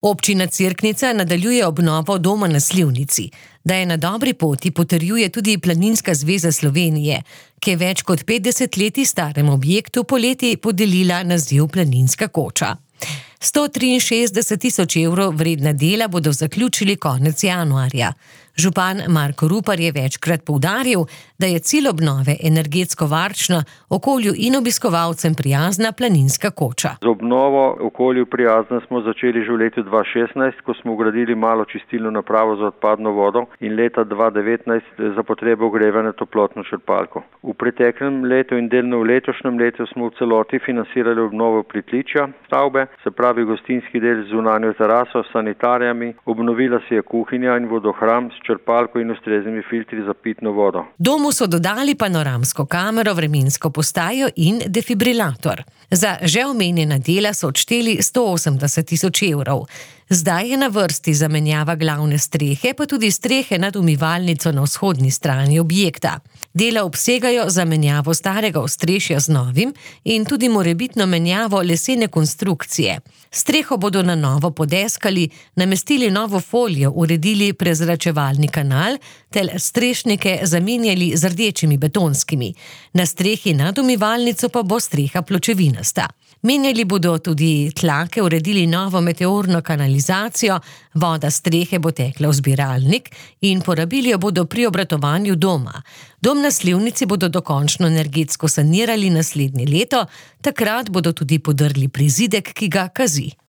Občina Cerknica nadaljuje obnovo doma na Slivnici. Da je na dobri poti, potrjuje tudi Planinska zveza Slovenije, ki je več kot 50 let staremu objektu poleti podelila naziv Planinska koča. 163 000 evrov vredna dela bodo zaključili konec januarja. Župan Marko Rupar je večkrat poudaril, da je cilj obnove energetsko varčna, okolju in obiskovalcem prijazna planinska koča. Z obnovo okolju prijazna smo začeli že v letu 2016, ko smo vgradili malo čistilno napravo za odpadno vodo in leta 2019 za potrebe ogrevanja toplotno črpalko. V preteklem letu in delno v letošnjem letu smo v celoti financirali obnovo pritličja stavbe, se pravi gostinski del z zunanjo teraso, sanitarijami, obnovila se je kuhinja in vodohram s črpalko in ustreznimi filtri za pitno vodo. Domu so dodali panoramsko kamero, vremensko postajo in defibrilator. Za že omenjena dela so odšteli 180 000 evrov. Zdaj je na vrsti zamenjava glavne strehe, pa tudi strehe nad umivalnico na vzhodni strani objekta. Dela obsegajo zamenjavo starega ostrešja z novim in tudi morebitno menjavo lesene konstrukcije. Streho bodo na novo podeskali, namestili novo folijo, uredili prezračevalni kanal ter strešnike zamenjali z rdečimi betonskimi. Na strehi nad umivalnico pa bo streha pločevinasta. Menjali bodo tudi tlake, uredili novo meteorno kanalizacijo, voda strehe bo tekla v zbiralnik in porabili jo bodo pri obratovanju doma. Dom na Slivnici bodo dokončno energetsko sanirali naslednje leto, takrat bodo tudi podrli prizidek, ki ga kazi.